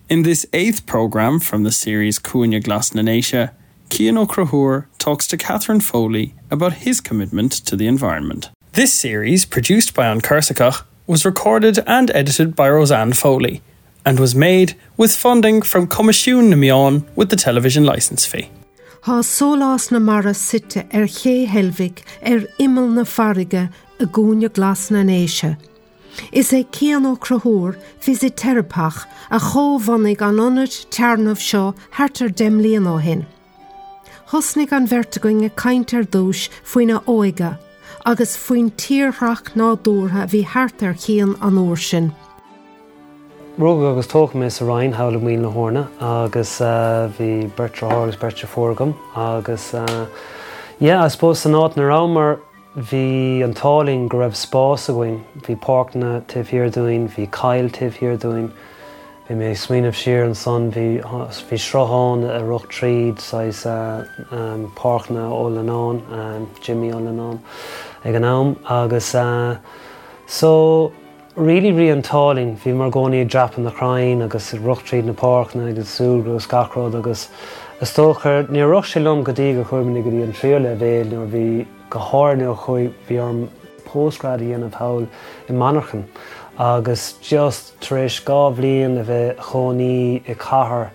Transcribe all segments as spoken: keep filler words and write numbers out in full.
In this eighth programme from the series Cúinne Glas na nDéise, Cian Ó Conchúir talks to Catherine Foley about his commitment to the environment. This series, produced by An Corsica, was recorded and edited by Roseanne Foley and was made with funding from Coimisiún na Meán with the television license fee. Tá Sólás na Mara suite ar Ché Heilbhic ar imeall na farraige i gCúinne Glas na nDéise. Is é Cian Ó Conchúir fisiteiripeach a chomhbhunaigh an ionad téarnaimh seo thart ar deich mbliana ó shin. Thosnaigh an bheirt againn ag caint ar dtús faoina óige agus faoin tírdhreach nádúrtha a bhí thart ar Chian an uair sin. Rugadh agus tógadh mé sa Rinn thall i Maoil na hEorna agus uh, bhí beirt deartháir agus beirt deirfiúr agam agus uh, yeah, I suppose san áit ina rabhamar bhí an t-ádh linn go raibh spás againn, bhí páirceanna taobh thiar dúinn, bhí coill taobh thiar dúinn, Bhí mé ag smaoineamh siar ansan bhí bhí sruthán a rith tríd saghas uh, um, páirceanna Ó Leannáin, um, Jimmy Ó Leannáin ag an am agus uh, so really bhí an t-ádh linn bhí mar gcóí ag dreapadh na crainn agus rith tríd na páirceanna agus súil agus gach rud agus is dócha ní raibh sé liom go dtí gur chuaigh mé go dtí an tríú leibhéal nuair bhí go háir chuig bhí orm postgrad a dhéanamh thall i Manchain agus just tar éis dhá bhliain a bheith chónaí i cathair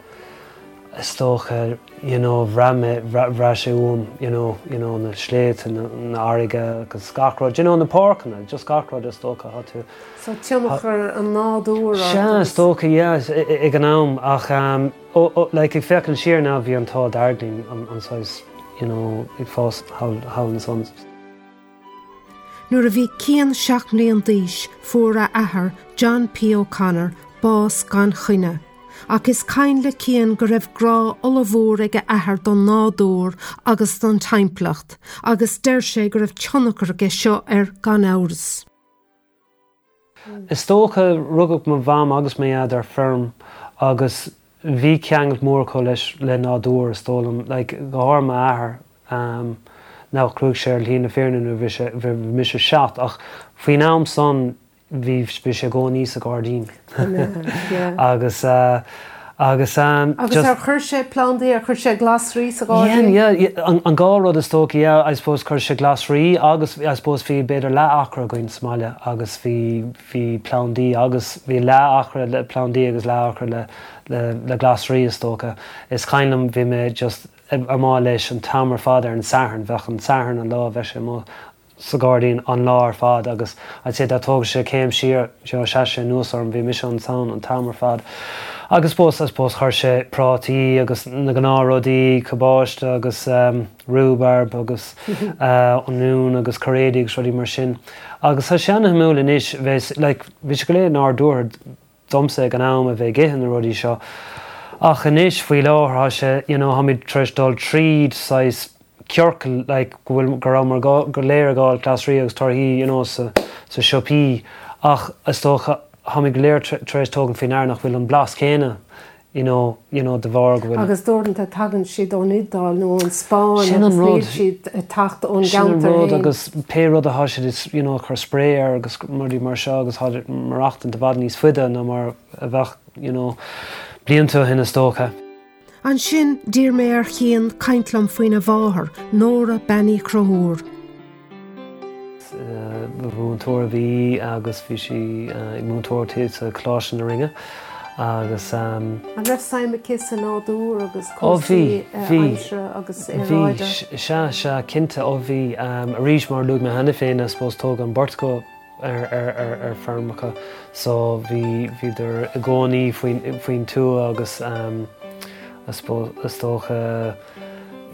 is dócha you know, bhraith sé uaim you know, you know, na sléibhte na, na farraige agus gach rud, you know, na páirceanna, just gach rud is dócha tá tú. So tionchar an nádúr Sea is dócha yeah, ag an am ach um, oh, oh, like, ag féachaint siar now bhí an t-ádh dearg linn an, an saghas you know, ag fás thall ansan. Nuair a bhí Cian seacht mbliana d'aois fuair a athair John P. O'Connor bás gan choinne. Ach is cuimhin le Cian go raibh grá ollmhór ag a athair don nádúr agus don timpeallacht, agus deir sé go raibh tionchar aige seo air gan amhras. Is dócha rugadh mo mham agus mo dhaid ar feirm agus bhí ceangal mór acu leis le nádúr is dóigh liom, like, go háirithe m'athair um, ná chuaigh sé ar shlí na fírinne nuair bhí mise seacht ach faoin am san bhí bhí sé i gcónaí sa ghairdín. agus uh, agus um, Agus ar chuir sé plandaí ar chuir sé glasraí sa ghairdín? Yeah, yeah, an, an dhá rud is dócha yeah, I suppose chuir sé glasraí agus I suppose bhí b'fhéidir leath-acra againn sa mbaile agus bhí bhí plandaí agus bhí leath-acra le plandaí agus leath-acra le, le, le glasraí is dócha. Is cuimhin liom bhí mé just amuigh leis an t-am ar fad ar an Satharn bheadh an Satharn an lá bheadh sé amuigh sa ghairdín an lá ar fad agus I'd say dá dtógadh sé céim siar seo se sé nuas orm bhí mise ansan an t-am ar fad. Agus suppose I suppose chuir sé prátaí agus na gnáthrudaí cabáiste agus um, rhubarb agus uh, oinniún agus cairéidí agus rudaí mar sin. Agus tá sé an-shuimiúil anois bheith like, bhí sé go léir nádúrtha domsa ag an am a bheith ag ithe na rudaí seo. Ach anois faoi láthair sé you know, táimid tar éis dul tríd saghas ciorcal like, go bhfuil go raibh mar go léir ag fáil glasraí agus torthaí you know, sa, sa siopaí ach is dócha táimid go léir tar éis tógaint faoi ndeara nach bhfuil an blas céanna you know, you know, de bharr go bhfuil. Agus uaireanta tagann siad ón Iodáil nó ón Spáinn Sin an rud. siad ag teacht ón Sin an gceantar rud féin. agus pé rud atá siad is you know, chur spray air agus rudaí mar seo agus tá maireachtaint i bhfad níos faide ná mar a bheadh you know, blianta ó shin is dócha. Ansin d'iarr mé ar Chian caint liom faoina mháthair, Nóra Bean Uí Chonchúir. Múinteoir a bhí agus bhí sí ag múinteoir sa Choláiste na Rinne agus um, An raibh suim aici sa nádúr agus Ó bhí bhí aimsire agus bhí aeráide. sea sea cinnte ó bhí um, arís mar luaigh mé cheana féin I suppose tógadh an bheirt acu ar, ar, ar, ar feirmeacha so bhí bhíodar i gcónaí faoin faoin tuath agus um, I suppose is dócha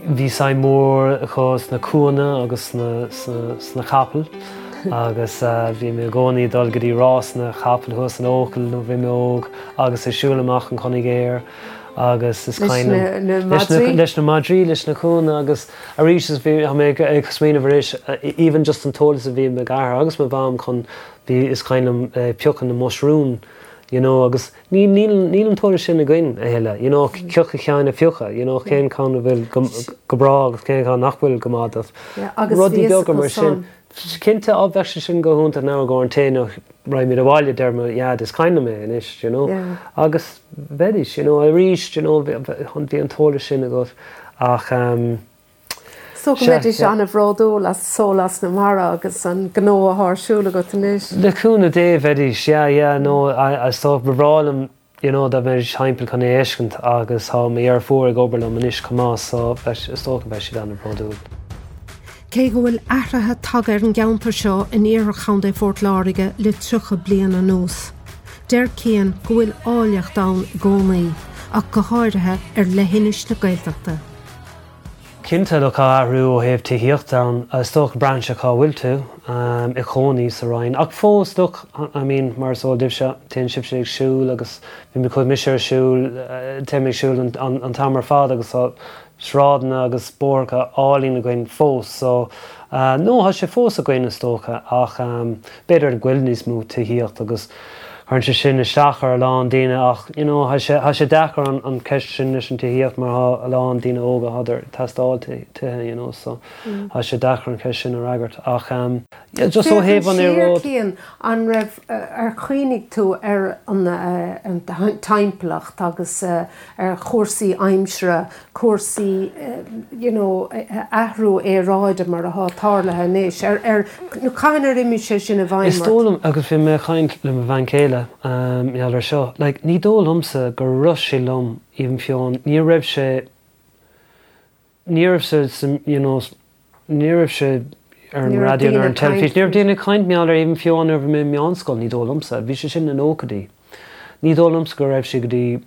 bhí suim mór acu sna cúnna agus sna, sna, sna capaill agus uh, bhí mé i gcónaí dul go dtí rás na capall thuas in Eochaill nó bhí mé óg agus ag siúl amach an Conigéir agus is Leis cuimhin na- na leis na- madraí? leis na madraí leis na cúnna agus arís is bhí mé ag ag smaoineamh arís even just an t-eolas a bhí m'athair agus mo mham chun bhí is cuimhin liom uh, piocadh na mushroom you know agus ní níl níl an t-eolas sin againn a thuilleadh you know ciocha ceann a phiocadh you know cén ceann a bhfuil go go breá agus cén ceann nach bhfuil go maith Yeah, agus rudaí bhí beaga mar san. sin Cinnte á bheadh sé sin go hiontach now go an té nó raghaimid abhaile deir mo dhaid is cuimhin liom é anois, you know. Yeah. Agus bheidís, you know, arís, you know, bhí bhí an t-eolas sin agat ach um, So go mbeidís an-bhródúil as Sólás na Mara agus an gnó atá ar siúl agat anois. Le cúnamh Dé bheidís, yeah, yeah, no, I, I so ba bhreá liom, you know, dá mbeidís timpeall chun é a fheiscint agus tá mo dheirfiúr ag obair liom anois chomh maith, so is dócha beidh siad an-bhródúil. Cé go bhfuil athruithe tagtha ar an gceantar seo in iarthar Chontae Phort Láirge le tríocha bliain anuas. Deir Cian go bhfuil áilleacht ann i gcónaí, ach go háirithe ar leithinis na Gaeltachta. Cinnte le tá athrú ó thaobh tithíocht ann is dócha braitheann sé cá bhfuil tú um, i gcónaí sa Rinn. Ach fós look, I mean, mar is eol daoibhse téann sibhse ag siúl agus bhí mé chuaigh mise ar siúl téim ag siúl an, an, an t-am ar fad agus tá sráideanna agus bóithre álainn againn fós, so uh, nó tá sé fós againn is dócha ach um, b'fhéidir go bhfuil níos mó tithíocht agus chuireann sé sin isteach ar a lán daoine ach you know, tá sé tá sé deacair an, an ceist sin leis an tithíocht mar tá a lán daoine óga thádar teastáil tithe you know, so mm. tá sé deacair an ceist sin a fhreagairt ach um, yeah, just ó thaobh an aeráid Cian an raibh ar chuimhnigh tú ar an, uh, an timpeallacht agus uh, ar chúrsaí aimsire, cúrsaí uh, you know, athrú aeráide mar atá tarlaithe anois ar ar nó cathain ar imigh sé sin i bhfeidhm Is dóigh liom agus bhí mé ag caint le mo bhean chéile um, ar seo, like, ní dóigh liomsa gur rith sé liom even fiú ní raibh sé ní raibh sé you know, ní raibh sé ar an raidió ar an teilifís. Ní raibh daoine ag caint mar even fiú nuair bhí mé meánscoil ní dóigh liomsa, bhí sé sin na nóchaidí. Ní dóigh liomsa go raibh sé go dtí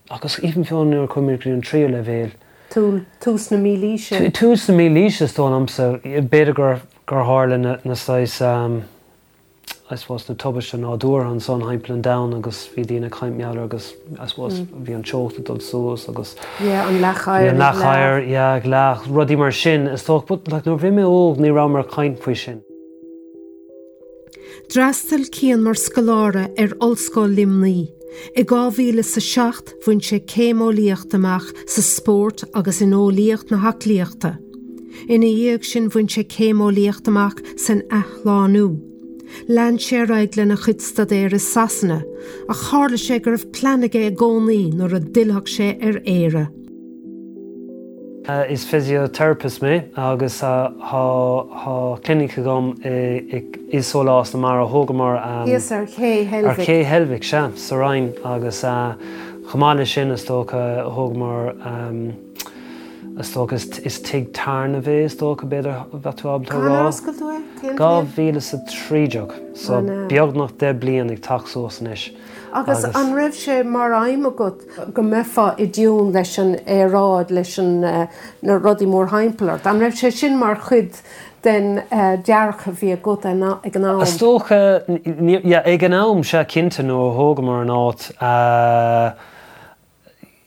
agus even fiú nuair chuaigh mé go dtí an tríú leibhéal. Tús na mílaoise. Tús na mílaoise is dóigh liomsa b'fhéidir gur gur tharla na, na saghas um, I suppose na tubaiste nádúrtha ansan timpeall an domhain agus bhí daoine ag caint mar agus I suppose mm. bhí an teocht ag dul suas agus yeah, an leachair an leachair yeah, leach rudaí mar sin is dócha but like, nuair bhí mé óg ní raibh mar caint faoi sin. D'fhreastail Cian mar scoláire ar Ollscoil Luimnigh. I dhá mhíle sa seacht bhain sé céim eolaíocht amach sa spórt agus in eolaíocht na haclaíochta. Ina dhiaidh sin bhain sé céim eolaíocht amach san athshlánú. Lean sé ar aghaidh lena chuid staidéir i Sasana, ach tharla sé go raibh plean aige i gcónaí nuair a d'fhillfeadh sé ar Éire. Uh, is physiotherapist mé agus uh, tá clinic agam i Sólás na Mara thógamar um, ar Ché Ar Ché Heilbhic sea sa Rinn agus uh, chomh maith leis sin is dócha thógamar um, is dócha is, is tigh tairne bhé is dócha b'fhéidir bheith tú ábalta rá. Dhá mhíle sa trí déag so beagnach deich bliain ag teacht suas anois. Agus an raibh sé mar aidhm agat go mbeifeá i dtiún leis an aeráid leis an uh, na rudaí mórthimpeall ort. An raibh sé sin mar chuid den uh, dearcadh a bhí agat ag an am. Is dócha ag an am sea cinnte nuair a thógamar an áit uh,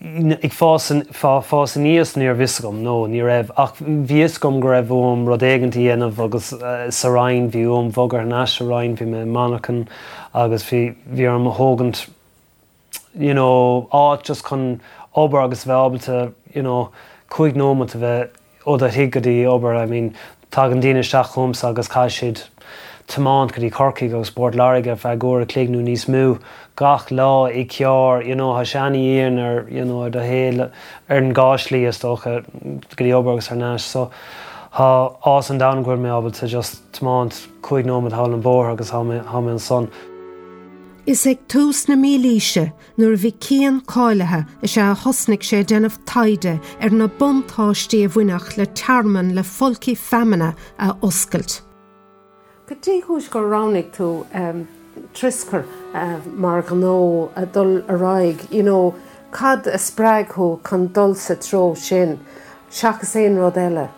ag fás fás aníos ní raibh fhios agam nó ní raibh ach bhí fhios agam go raibh uaim rud éigin a dhéanamh agus uh, sa Rinn bhí uaim bogadh thar n-ais sa Rinn bhí mé monarcha agus bhí bhí orm a thógaint you know, áit just chun obair agus bheith ábalta you know, cúig nóiméad a bheith ó do thigh go dtí obair I mean, tagann daoine isteach chugamsa agus caithfidh siad tiomáint go dtí Corcaigh agus Port Láirge feadh uair a chloig nó níos mó gach lá i gceart you know, tá sé an-dian ar you know, ar do shaol ar an dhá shlí is dócha go dtí obair agus thar n-ais so tá áthas an domhain go bhfuil mé ábalta just tiomáint cúig nóiméad thall an bóthar agus tá mé ansan. Is ag tús na mílaoise nuair a bhí Cian cáilithe is ea a thosnaigh sé déanamh taighde ar na buntáistí a bhainfeadh le tearmann le folcthaí feamainne a oscailt. Cad é an chúis gur roghnaigh tú um, Tuskr uh, mar ghnó a dul ar aghaidh, you know, cad a spreag thú chun dul sa treo sin, seachas aon rud eile.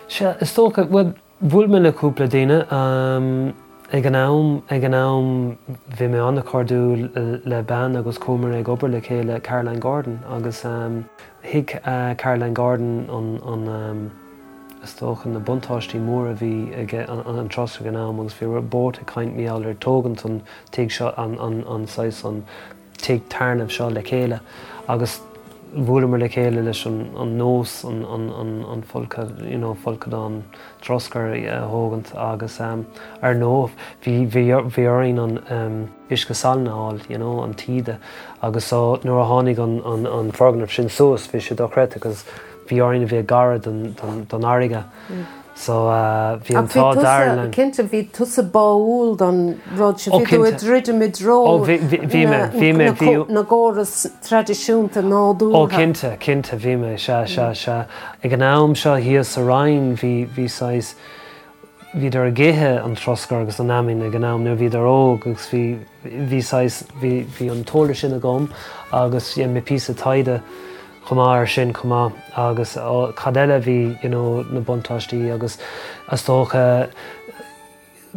Sea is dócha well, bhuail mé le cúpla daoine um, ag an am ag an am bhí mé an-chairdiúil le bean agus chuamar ag obair le chéile Caroline Gordon agus um, thuig uh, Caroline Gordon an, an um, is dócha na buntáistí mór a bhí ag an, an, an trust ag an am agus bhí bord ag caint mar gheall ar tógaint an tigh seo an, an, an saghas an tigh tairne seo le chéile agus bhuaileamar le chéile leis an an nós an an an an folcadh you know folcadán troscair a thógaint agus um, ar ndóigh bhí bhí bhí orainn an um, uisce salainn a fháil you know an taoide agus so nuair a tháinig an an an foirgneamh sin suas bhí sé dochreidte agus bhí orainn a bheith gar don don don fharraige. So uh, bhí an t-ádh dearg linn. Cinnte bhí tusa báúil don rud sin Ó, bhí tú cinnte. ag druidim i dtreo Ó, bhí- bhí- bhí mé, bhí mé, na bhí- co- na gcóras traidisiúnta nádúrtha. Ó cinnte, cinnte bhí mé sea sea sea. Ag an am seo thíos sa Rinn bhí bhí saghas bhíodar ag ithe an troscar agus an fheamainn ag an am nuair bhíodar óg agus bhí bhí saghas bhí bhí an t-eolas sin agam agus dhein mé píosa taighde chomh maith ar sin chomh maith agus ó, cad eile bhí you know, na buntáistí agus is dócha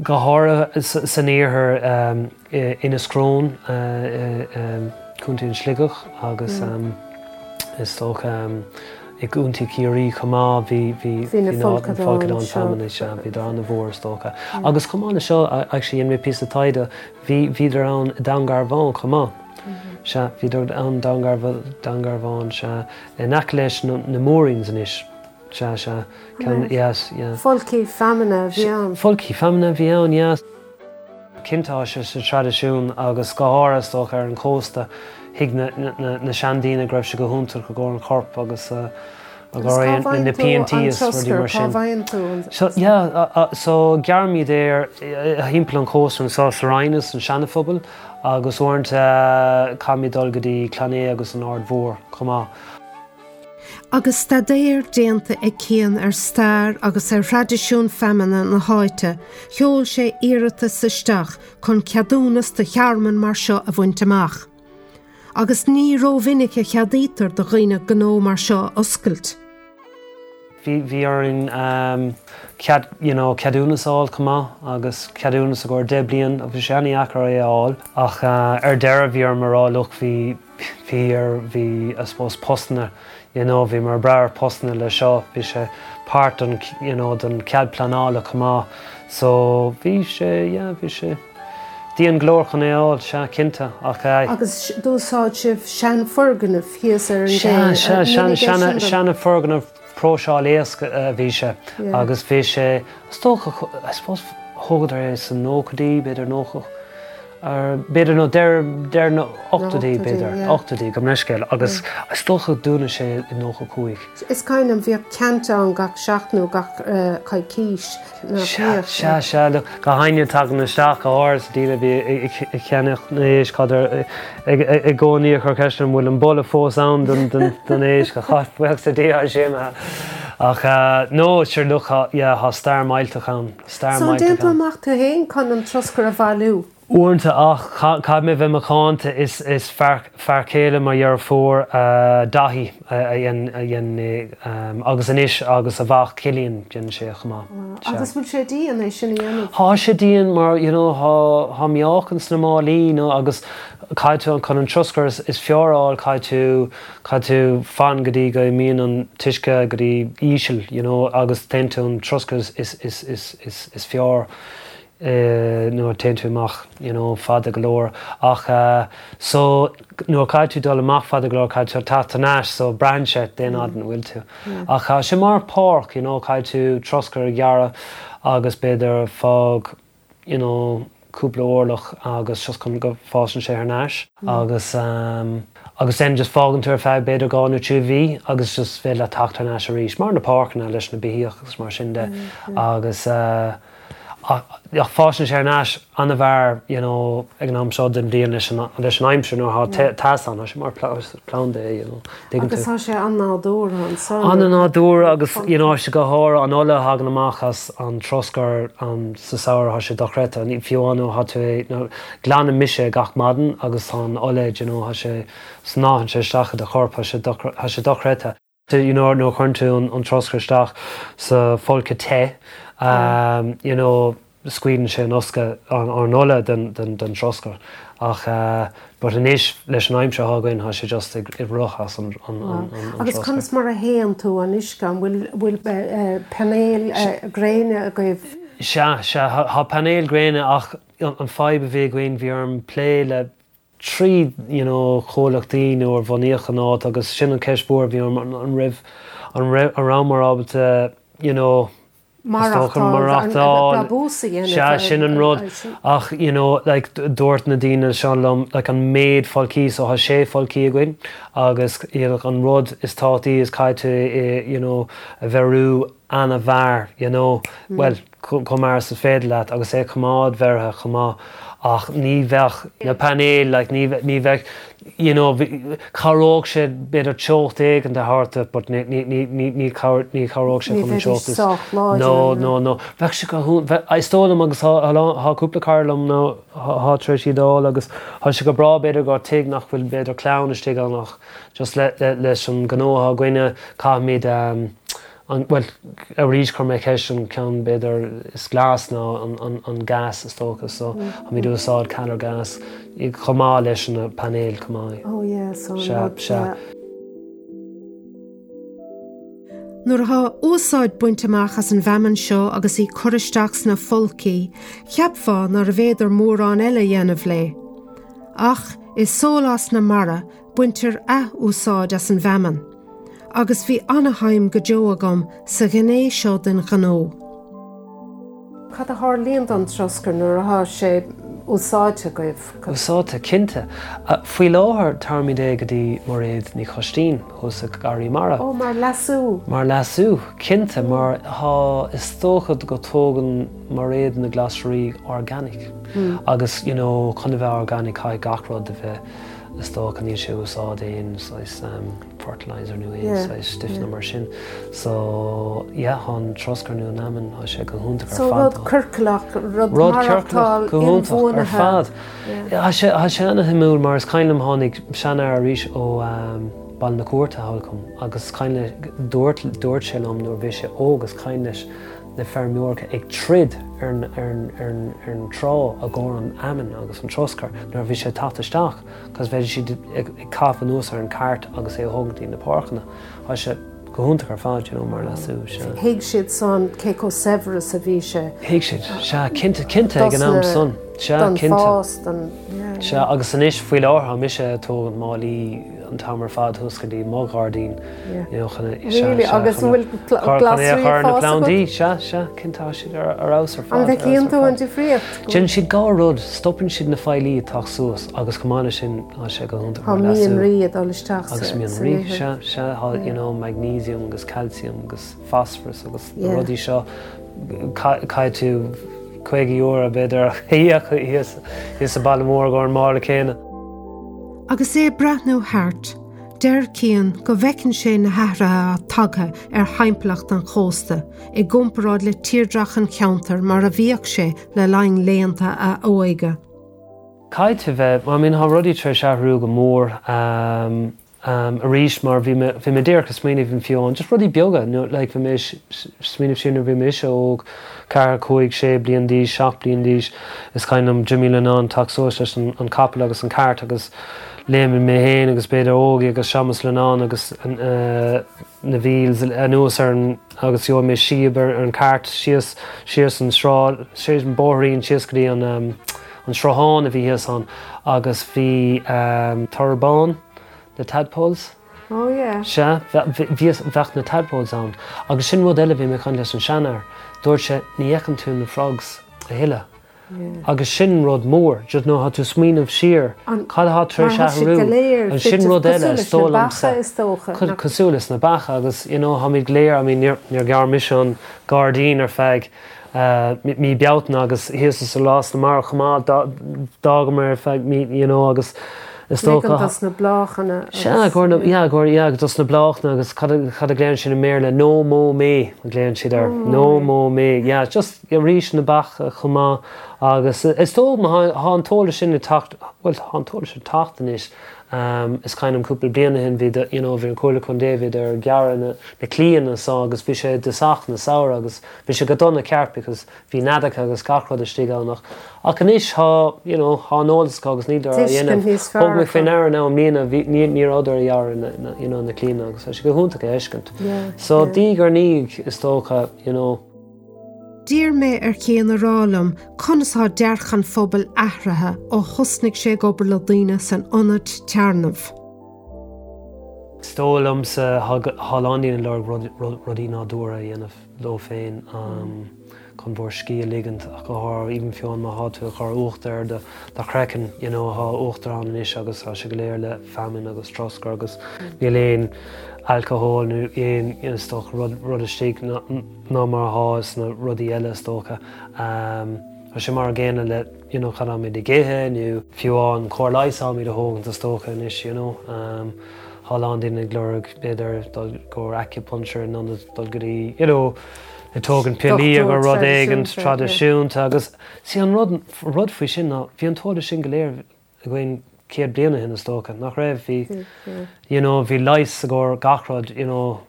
go háirithe san iarthar um, i- Inis Crón uh, um, Contae an Sligeach agus um, is dócha um, i gContae Chiarraí chomh maith bhí bhí Bhí na bhí folcadáin folcadáin seo. feamainne sea bhí an-mhór is dócha. Agus chomh maith le seo actually dhein mé píosa taighde bhí bhíodar ann i Dún Garbhán chomh maith. Sea bhíodar ann Dún Garbhán sea in aice leis na na Moorings anois. Sea sea Ceann- yes, yeah. Folcaí feamainne a bhí ann. Folcaí feamainne a bhí ann yes. Cinnte tá sé sa traidisiún agus go háirithe is dócha ar an cósta thuig na, na, na, na seandaoine go raibh sé go hiontach i gcomhair an chorp agus uh, Agus cá na bhfaigheann tú PNT an is rudaí troscar? mar Cá sin. bhfaigheann tú an- So yeah, uh, uh, so gearraimid é thimpeall an chósta anseo sa Rinn is an Seana-Phobal agus uaireanta caithfimid dul go dtí Clann Aodha agus an Aird Mhór chomh maith. Agus staidéar déanta ag Cian ar stair agus ar thraidisiún feamainne na háite, sheol sé iarratas isteach chun ceadúnas do thearmann mar seo a bhaint amach. Agus ní rómhinic a cheadaítear do dhaoine gnó mar seo a oscailt. Bhí bhí orainn um, cead you know, ceadúnas a fháil chomh maith agus ceadúnas i gcomhair deich bliain agus bhí sé an-deacair é a fháil ach uh, ar deireadh bhí orm a rá look bhí bhí ar bhí I suppose postanna you know, bhí mar brear postanna le seo bhí sé páirt den you know, den cead pleanála chomh maith so bhí sé yeah, bhí sé dian go leor chun é a fháil sea cinnte ach uh, Agus d'úsáid sibh seanfhoirgneamh thíos ar an Sea, sea, gcé. sean seana foirgneamh próiseáil éisc a bhí sé Yeah. agus bhí sé is dócha I suppose thógadar é san nóchaidí b'fhéidir nócha ar b'fhéidir nó deireadh deireadh na ochtóidí ochtóidí, b'fhéidir yeah. ochtóidí gabh mo leithscéal agus is dócha dúnadh sé i nócha cúig. Is cuimhin liom bhíodh ceant ann gach seachtain nó gach eh, coicís nach Sea mbíodh? sea sea look, gach éinne tagann isteach go háirithe daoine a bhí ag ceannach na éisc cad i gcónaí ag cur ceist an bhfuil an boladh fós ann den den den éisc a chaith buíochas le Dia sé me. Ach uh, no sure look yeah, tá stair millteach ann stair So millteach déan tú ann. amach tú féin chun an troscar a bhailiú. Uaireanta ach caithfidh mé bheith macánta is is fear fear céile mo dheirfiúr uh, Daithí a dhein a dhein um, agus anois agus a mhac Cillian déanann sé chomh maith. Sea. Agus bhfuil sé dian é sin a dhéanamh. Tá sé dian mar you know, tá tá meáchan sna málaí nó agus caithfidh tú chun an troscar is, is fearr a fháil caithfidh tú caithfidh tú fan go dtí go mbíonn an t-uisce go dtí íseal you know, agus téann tú an troscar is, is, is, is, is, is fearr uh, nuair téann tú amach you know, fada go leor ach uh, so nuair caithfidh tú dul amach fada go leor caithfidh tú teacht thar n-ais so braitheann sé dén mm. an bhfuil tú. Ach uh, sé mar páirc you know, caithfidh tú troscar a ghearradh agus b'fhéidir fág you know, cúpla orlach agus just chun go bhfásann sé thar n-ais agus um, agus then just fágann tú ar feadh b'fhéidir dhá nó trí mhí agus just féidir le teacht thar n-ais arís mar na páirceanna leis na beithíoch agus mar sin de agus uh, ach ach fásann sé thar n-ais an-mhaith you know, ag an am seo den bhliain leis an leis an aimsir nuair atá teas ann, tá sé mar pla- planda é, you know, tuigeann Agus tú. tá sé an-nádúrtha ansan. An-nádúrtha agus you know, sé go háirithe an ola a thagann amach as an troscar an sa samhradh tá sé dochreidte ní fiú nó tá tú é nó glanaim mise gach maidin agus tá an ola you know, tá sé snámhann sé isteach i do chorp tá sé dochre- tá sé dochreidte. You know, nó chuireann tú an, an troscar isteach sa folcadh te um, you know, scaoileann sé an uisce an, an ola den, den, den troscar. Ach uh, but anois leis an aimsir atá againn tá sé just ag ag rith as an, an, an, an, an Agus troscar. conas mar a théann tú an uisce an bhfuil bhfuil eh, painéil eh, gréine agaibh. Sea, sea, thá painéil gréine ach an, an fadhb a bhí againn bhí orm plé le trí you know, chomhlachtaí nuair a bunaíodh an áit agus sin an ceist mhór bhí an an raibh an raibh an rabhamar ábalta you know, Maireachtáil Sea sin an rud ach you know, like, dúirt na daoine seo liom like, an méid folcthaí so tá sé folcthaí againn agus you know, an rud is tábhachtaí is caithfidh you know, a bheiriú an-mhear you know, mm. well chomh mear is féidir leat agus é coimeád bheirthe chomh maith ach ní bheadh na painéil like, ní, ní bheadh you know, chabhródh sé b'fhéidir teocht éigin a thabhairt but ní ní ní ní ní chabhródh sé chun an teocht is no no no bheadh sé go is dóigh liom agus tá cúpla cara liom nó tá tar éis iad a fháil agus tá sé go breá b'fhéidir go tigh nach bhfuil b'fhéidir clann istigh ann ach just le, le, leis an gnó atá againne caithfimid um, an well arís chuir mé ceist an ceann b'fhéidir is glas ná an, an, an gas is dócha so táimid ag úsáid calor gas chomh maith leis na painéil chomh maith. Oh yeah, so Sea, rud, sea. yeah. Nuair atá úsáid bainte amach as an bhfeamainn seo agus í curtha isteach sna folcthaí, cheapfá nárbh fhéidir mórán eile a dhéanamh léi. Ach i Sólás na Mara baintear athúsáid as an bhfeamainn. Agus bhí an-shuim go deo agam sa ghné seo den ghnó. Cad a tharlaíonn don troscar nuair atá sé úsáidte agaibh? Úsáidte cinnte. Faoi láthair tabharfaimid é go dtí Mairéad Ní Choistín thuas ag Garraí Mara. Ó mar leasú. Mar leasú, cinnte, mar tá is dócha go dtógann Mairéad na glasraí organic. Mm. Agus you know, chun a bheith organic caithfidh gach rud a bheith is dócha níl sé úsáid aon saghas um, fertilizer nó aon Yeah, saghas stuif yeah. mar sin. So yeah, an troscar nó an fheamainn tá sé go hiontach ar So fad. rud ciorclach, rud Rud maireachtáil ciorclach go hiontach ar inbhuanaithe. fad. Yeah. Tá sé tá sé an-shuimiúil mar is cuimhin liom tháinig seanfhear arís ó um, Baile na Cúirte thall chugam agus cuimhin le dúirt dúirt sé liom nuair bhí sé óg is cuimhin leis na feirmeoirí ag troid ar an, ar an, ar an, ar an trá i gcomhair an fheamainn agus an troscar nuair bhí sé teacht isteach, cos bheidh siad ag, ag caitheamh anuas ar an cart agus é a thógaint na páirceanna. Tá sé go hiontach ar fad you know, mar leasú sé. Thuig siad san cé chomh saibhir is a bhí sé. Thuig siad sea cinnte cinnte ag an am Dos na- san sea Don cinnte. fás don yeah, Sea agus anois faoi láthair mise ag tógaint málaí an t-am ar fad thuas go dtí mo ghairdín Yeah. you know, chun Really? Agus an bhfuil pl- glasraí chur na ag fás plandaí sea sea cinnte siad ar ar fheabhas ar fad. An ar bhfeiceann fheabhas tú ar an fad. difríocht? Déanann siad dhá rud, stopann siad na feithidí ag teacht suas agus chomh maith leis sin tá sé go hiontach Tá mar leasú. mianraí ag dul isteach agus sa- mian sa rí ithir. sea sea tá you know, magnesium agus calcium agus phosphorus agus na Yeah. rudaí seo caithfidh tú caoga euro b'fhéidir thíos thíos sa baile mór go an mála céanna. Agus é ag breathnú thart, deir Cian go bhfeiceann sé na hathruithe tagtha ar thimpeallacht an chósta i gcomparáid le tírdhreach an cheantair mar a bhíodh sé le linn laethanta a óige. Caithfidh bheith I mean, tá rudaí tar éis athrú go mór um, um, arís mar bhí mé bhí mé díreach ag smaoineamh an fiú just rudaí beaga nó like, bhí mé smaoineamh sin bhí mise óg ceathair cúig sé bliain d'aois seacht bliain d'aois is cuimhin liom Jimmy Lennon teacht suas leis an, an capall agus an cart agus léim mé féin agus b'fhéidir Ógie agus Seamus Lennon agus an, uh, na wheels anuas ar an agus gheobhaidh mé síob ar ar an cart síos síos an sráid síos an bóithrín síos go dtí an um, an sruthán a bhí thíos ann agus bhí um, torbán na tadpoles. Oh yeah. Sea, bhí bheadh na tadpoles ann. Agus sin rud eile bhí mé chun leis an seanfhear. Dúirt sé ní fheiceann tú na frogs a thuilleadh. Yeah. Agus sin rud mór, just nó tá tú smaoineamh siar An- cad atá tar éis Mar tá siad athrú. go léir An sin rud eile cosúil is dóigh leis na liomsa. beacha is dócha. Co- Cosúil leis na beacha agus you know, táimid go léir, I mean, níor níor ghearr mise an gairdín ar feadh uh, mí Bealtaine agus thíos is Sólás na Mara chomh maith d'fhágamar ar feadh mí you know, agus is Ligean dócha dos na bláthanna. Sea gur yeah, gur yeah, dos na bláthanna agus cad a cad a ghlaonn sin i mBéarla no mow May a glaonn siad air no mow May yeah, just arís na beacha chomh maith agus is dóigh tá an t-eolas sin ag teacht well tá an t-eolas sin ag teacht anois um, is cuimhin liom cúpla bliain ó shin bhí you know, bhí an Comhairle Contae bhí ar gearradh na, na claíonna so agus bhí sé de sach na samhradh agus bhí sé go dona ceart because bhí neadacha agus gach rud istigh ann ach ach anois tá you know, tá an eolas acu agus níl ar a Tuiscint dhéanamh. níos fearr Thug mé acu. faoi deara ná mbliana bhí- ní ní raibh ar ghearradh na, na, you know, na claíonna agus tá sé go hiontach a fheiscint. Yeah, So yeah. diaidh ar ndiaidh is dócha you know, D'iarr mé ar Chian a rá liom conas atá dearcadh an phobail athraithe ó thosnaigh sé ag obair le daoine san ionad téarnaimh. Is dóigh liomsa tá a lán daoine ag lorg rudaí nádúrtha a dhéanamh leo féin chun bhur scíth a ligint ach go háirithe even fiú má tá tú ag cur uachtar ar do do chraiceann you know tá uachtar ann anois agus tá sé go léir le feamainn agus troscar agus níl aon alcohol nó aon you know, is dócha rud rud istigh ná mar atá sna rudaí eile is dócha. Um, Tá sé mar an gcéanna le you know, cad táimid ag ithe nó fiú an chóir leighis atáimid a thógaint is dócha anois you know. Um, Tá a lán daoine ag lorg b'fhéidir dul go acupuncture nó dul go dtí you know, ag tógaint piollaí agus rud éigin traidisiúnta agus sí an rud rud faoi sin ná bhí an t-eolas sin go léir againn céad bliain ó shin is dócha nach raibh bhí you know, bhí leigheas i gcomhair gach rud you know,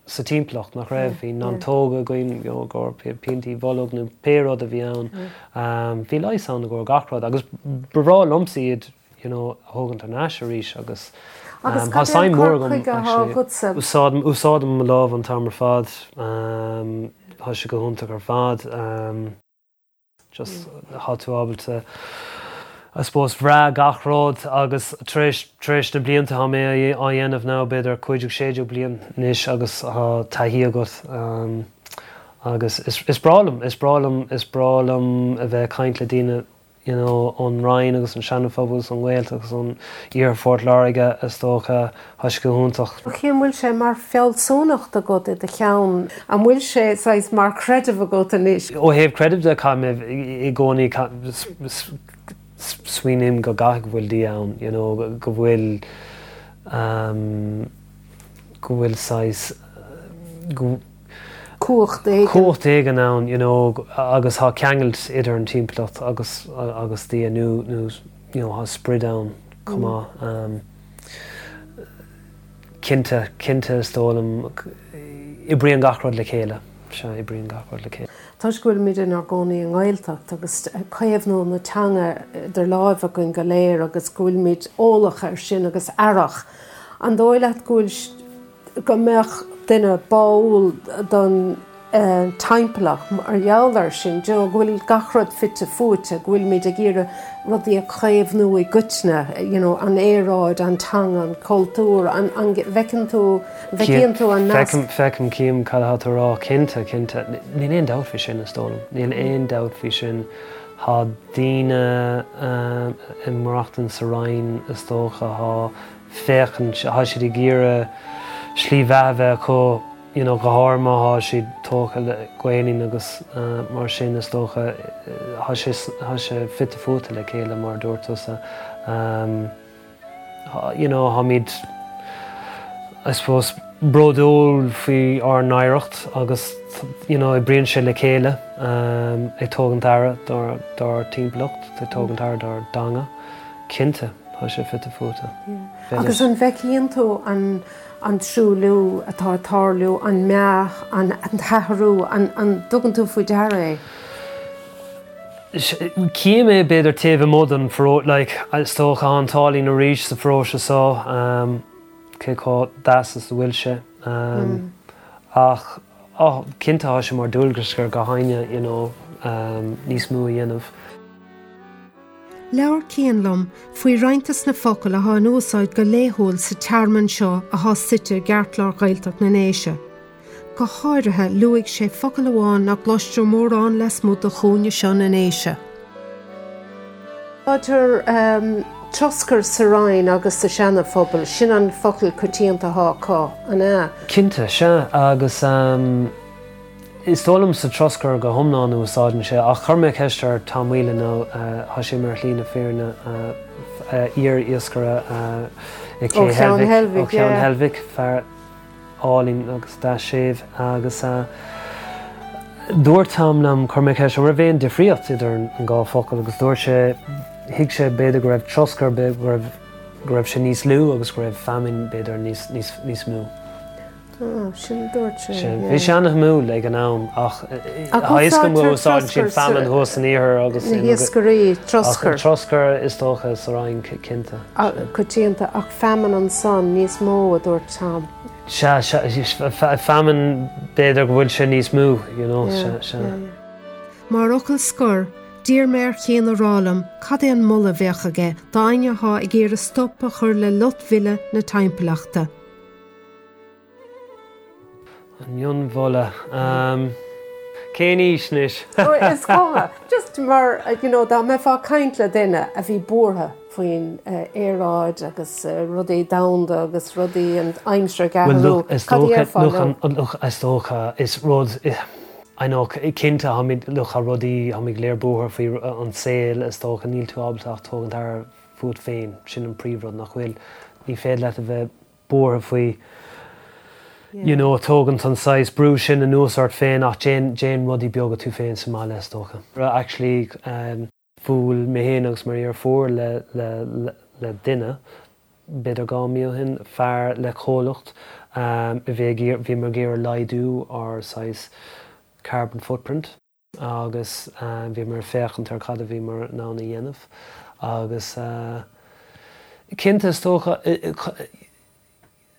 sa timpeallacht nach raibh bhí neantóga againn you know, go piantaí bolg nó pé rud a bhí ann um, bhí leigheas ann i gcomhair gach rud agus ba bhreá liomsa iad you know, a thógaint ar ais arís agus Agus um, tá cad é suim an mór cur agam, chuige atá actually. agatsa? Úsáidim úsáidim mo lámh an t-am ar fad um, tá sé go hiontach ar fad um, just tá tú ábalta I suppose brath gach rud agus tar éis tar éis na blianta tá mé á dhéanamh ná b'fhéidir cúig sé bliain anois agus tá taithí agat um, agus is, is breá liom is breá liom is breá liom a bheith ag caint le daoine you know, ón Rinn agus an Seana-Phobal an Ghaeltacht agus an Iarthar Phort Láirge is dócha tá sé go hiontach. Cén bhfuil sé mar fealsúnacht agat i do cheann, an bhfuil sé saghas mar chreideamh agat anois? Ó thaobh creidimh de ca mé i gcónaí smaoiním go gcaithfidh go bhfuil Dia ann, you know, go go bhfuil um, go bhfuil saghas go Cumhacht éigin. Cumhacht éigin ann, you know, agus tá ceangal idir an timpeallacht agus agus Dia nó nó you know, tá sprid ann chomh maith. Um, cinnte cinnte is dóigh liom oibríonn gach rud le chéile se oibríonn gach rud le chéile. Toisc go bhfuilimid inár gcónaí i nGaeltacht agus caomhnú na teanga idir lámha againn go léir agus go bhfuilimid eolach air sin agus aireach. An dóigh leat go bhfuil go mbeadh duine báúil don eh, timpeallacht mar gheall air sin, do go bhfuil gach rud fite fuaite, go bhfuilimid ag iarraidh rudaí a chaomhnú i gcoitinne, you know, an aeráid, an teanga, an cultúr, an, an bhfeiceann tú bhfeiceann tú an nasc. Feicim feicim cím cad atá tú a rá cinnte cinnte níl aon dabht faoi sin is dóigh liom. Níl aon dabht faoi sin Tá daoine um, ag maireachtaint sa Rinn is dócha tá féachann tá siad ag iarraidh slí bheatha bheith acu you know, go háirithe má tá siad tógtha le Gaelainn agus uh, mar sin is dócha tá sé tá sé fite fuaite le chéile mar dúirt tusa. Um, you know, táimid I suppose bródúil faoi ár n-oidhreacht agus you know, oibríonn sé le chéile um, ag tógaint aire dár dár timpeallacht, ag tógaint aire dár dteanga. Cinnte tá sé fite fuaite. Agus an bhfeiceann tú an an truailliú atá ag tarlú, an meath, an, an t-athrú, an, an dtugann tú faoi deara é? Cím é b'fhéidir taobh amuigh den pharóiste like, is dócha an t-ádh linn arís sa pharóiste seo um, cé chomh deas is a bhfuil sé. Um, mm. Ach oh, cinnte tá sé mar dualgas ar gach éinne you know, um, níos mó a dhéanamh. Labhair Cian liom faoi roinnt de na focail atá in úsáid go laethúil sa tearmann seo atá suite i gceartlár Ghaeltacht na nDéise. Go háirithe luaigh sé focal amháin nach gcloistear mórán lasmuigh de chúinne seo na nDéise. Úsáidtear um, troscar sa Rinn agus sa Seana-Phobal, sin an focal coitianta atá acu an ea. Cinnte se agus um, is dóigh liom sa troscar go hiomlán úsáideann sé ach chuir mé ceist ar Tom Whelan nó tá sé mar shlí na fírinne iar-iascaire i Ó Cheann Heilbhic, ó Cheann yeah. Heilbhic fear álainn agus deas séimh agus uh, dúirt Tom liom chuir mé ceist an raibh aon difríocht idir an dhá focal agus dúirt sé thuig sé b'fhéidir go raibh troscar go raibh go raibh sé níos lú agus go raibh feamainn b'fhéidir níos níos níos mó. Oh, sin dúirt sé. Sin yeah. bhí sé an-shuimiúil ag an am ach Ach thaisce úsáidtear úsáideann siad troscar feamainn sa- thuas san iarthar agus Na hiascairí troscar. troscar is dócha sa Rinn cinnte. Coitianta ach feamainn ansan níos mó a dúirt Tom. Se feamainn b'fhéidir go bhfuil sé níos mó, you know, Yeah, se se. yeah, yeah. Mar fhocal scoir, d'iarr mé ar Chian a rá liom cad é an moladh a bheadh aige d'éinne atá ag iarraidh stop a chur le loitmhilleadh na timpeallachta. An mionmholadh. Um, Cén aois anois? Is cuma just mar you know, dá mbeifeá ag caint le duine a bhí buartha faoin uh, aeráid agus uh, rudaí domhanda agus rudaí an aimsir Is dócha is rud I know cinnte lucha rudaí ha léir buartha faoi an saol is dócha níl tú ábalta ach tógaint aire fút féin sin an príomhrud nach bhfuil ní féidir leat a bheith buartha faoi you know tógaint an saghas brú sin anuas ort féin ach déan déan rudaí beaga tú féin sa mbaile is dócha. Actually um, bhuail mé féin agus mo dheirfiúr le, le, le, le duine b'fhéidir dhá mhí ó shin fear le comhlacht um, a bhí bhí ag iarraidh laghdú ár saghas carbon footprint agus uh, bhí mar féachaint ar cad a bhí mar ná a dhéanamh agus uh, cinnte is dócha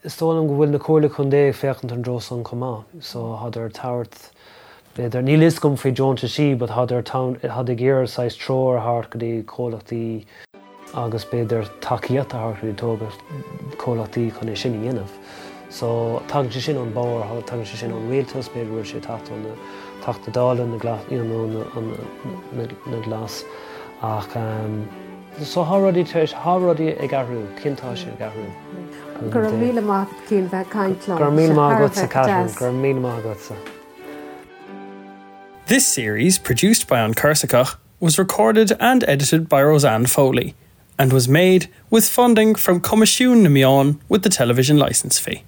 is dóigh liom go bhfuil na comhairle contae ag féachaint an dtreo san chomh maith so thádar tabhairt b'fhéidir níl fhios agam faoi deontaisí but thádar thádar ag iarraidh saghas treoir a thabhairt go dtí comhlachtaí agus b'fhéidir tacaíocht a thabhairt go dtí comhlachtaí chun é sin a dhéanamh. So tagann sé sin ón barr tagann sé sin ón rialtas b'fhéidir bhfuil sé teacht ón Teachta Dála na you know, na, na glas ach um, so tá rudaí tá rudaí ag athrú cinnte tá sé ag athrú. Go raibh míle maith Cian bheith caint Go raibh míle maith agatsa Catherine, go raibh míle maith agatsa. This series, produced by An Corsica, was recorded and edited by Roseanne Foley and was made with funding from Coimisiún na Meán with the television license fee.